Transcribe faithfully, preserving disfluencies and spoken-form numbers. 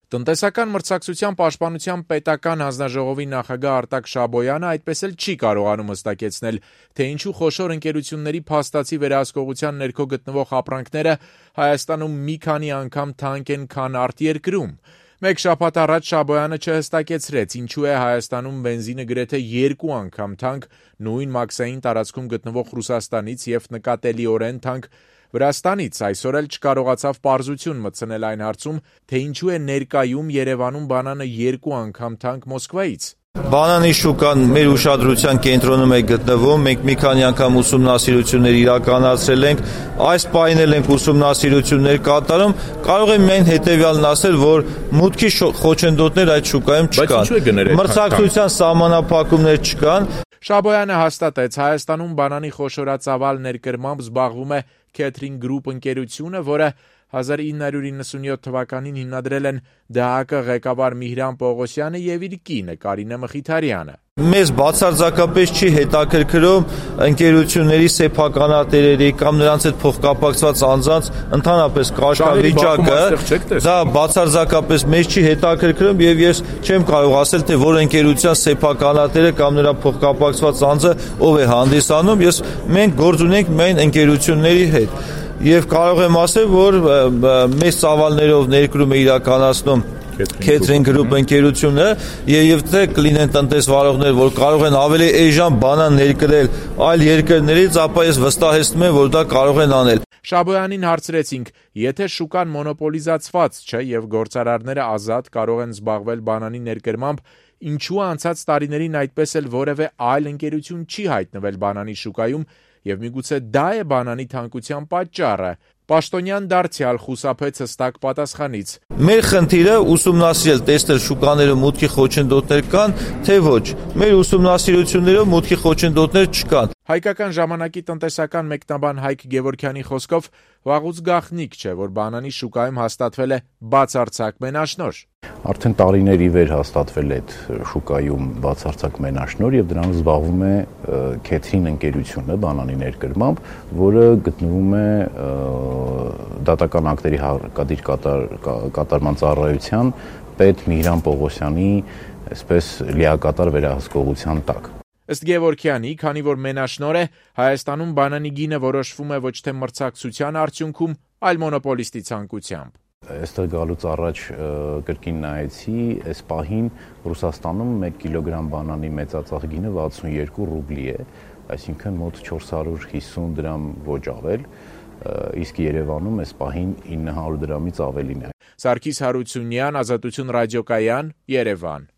Տնտեսական մրցակցության պաշտպանության պետական հանձնաժողովի նախագահ Արտակ Շաբոյանը այդպես էլ չի կարողանում հստակեցնել, թե ինչու խոշոր ընկերությունների փաստացի վերահսկողության ներքո գտնվող ապրանքները Հայաստանում մի քանի անգամ թանկ են, քան արտերկրում։ Մեկ շաբաթ առաջ Շաբոյանը չհստակեցրեց, ինչու է Հայաստանում բենզինը գրեթե երկու անգամ թանկ նույն մաքսային տարածքում գտնվող Ռուսաստանից եւ նկատելիորեն թանկ Վրաստանից։ Այսօր էլ չկարողացավ պարզություն մտցնել այն հարցում, թե ինչու է ներկայում Երևանում բանանը երկու անգամ թանկ Մոսկվայից։ Բանանի շուկան մեր ուշադրության կենտրոնում է գտնվում, մենք մի քանի անգամ ուսումնասիրություններ իրականացրել ենք, այս պահին էլ ենք ուսումնասիրություններ կատարում, կարող եմ միայն հետևյալն ասել, որ մուտքի խոչընդոտներ այդ շուկայում չկան, մրցակցության սահմանափակումներ չկան։ Շաբոյանը հաստատեց, Հայաստանում բանանի խոշորածավալ ներկրմամբ զբաղվում է Catering Group ընկերությունը, որը հազար ինը հարյուր իննսունյոթ թվականին հիմնադրել են ԴՀԿ ղեկավար Միհրան Պողոսյանը եւ իր կինը Կարինե Մխիթարյանը։ Մեզ բացարձակապես չի հետաքրքրում ընկերությունների սեփականատերերի կամ նրանց հետ փոխկապակցված անձանց ընդհանրապես կարգավիճակը, դա բացարձակապես մեզ չի հետաքրքրում եւ ես չեմ կարող ասել, թե որ ընկերության սեփականատերը կամ նրա փոխկապակցված անձը ով է հանդիսանում, ես մենք գործ ունենք միայն ընկերությունների հետ։ Եվ կարող եմ ասել, որ մեծ ծավալներով ներկրում է իրականացնում Catering Group ընկերությունը եւ թե կլինեն տնտեսվարողներ, որ կարող են ավելի էժան բանան ներկրել այլ երկրներից, ապա ես վստահեցնում եմ, որ դա կարող են անել։ Շաբոյանին հարցրեցինք, եթե շուկան մոնոպոլիզացված չէ եւ գործարարները ազատ կարող են զբաղվել բանանի ներկրմամբ, ինչու անցած տարիներին այդպես էլ որևէ այլ ընկերություն չի հայտնվել բանանի շուկայում եւ միգուցե դա է բանանի թանկության պատճառը։ Պաշտոնյան դարձյալ խուսափեց հստակ պատասխանից։ Մեր խնդիրը ուսումնասիրել, տեսնել շուկաներում մուտքի խոչընդոտներ կան, թե ոչ։ Մեր ուսումնասիրություններով մուտքի խոչընդոտներ չկան։ Հայկական ժամանակի տնտեսական մեկնաբան Հայկ Գևորգյանի խոսքով վաղուց գաղտնիք չէ, որ բանանի շուկայում հաստատվել է բացարձակ մենաշնորհ։ Արդեն տարիներ ի վեր հաստատվել է այդ շուկայում բացարձակ մենաշնորհ եւ դրանով զբաղվում է Catering ընկերությունը բանանի ներկրմամբ, որը գտնվում է դատական ակտերի հարկադիր կատար, կատարման ծառայության պետ Միհրան Պողոսյանի այսպես լիակատար վերահսկողության տակ։ Ըստ Գևորգյանի, քանի որ մենաշնորհ է, Հայաստանում բանանի գինը որոշվում է ոչ թե մրցակցության արդյունքում, այլ մոնոպոլիստի ցանկությամբ։ Այստեղ գալուց առաջ կրկին նայեցի, այս պահին Ռուսաստանում մեկ կիլոգրամ բանանի մեծածախ գինը վաթսուն երկու ռուբլի է, այսինքն մոտ չորս հարյուր հիսուն դրամ ոչ ավել, իսկ Երևանում այս պահին ինը հարյուր դրամից ավելին է։ Սարգիս Հարությունյան, Ազատություն ռադիոկայան, Երևան։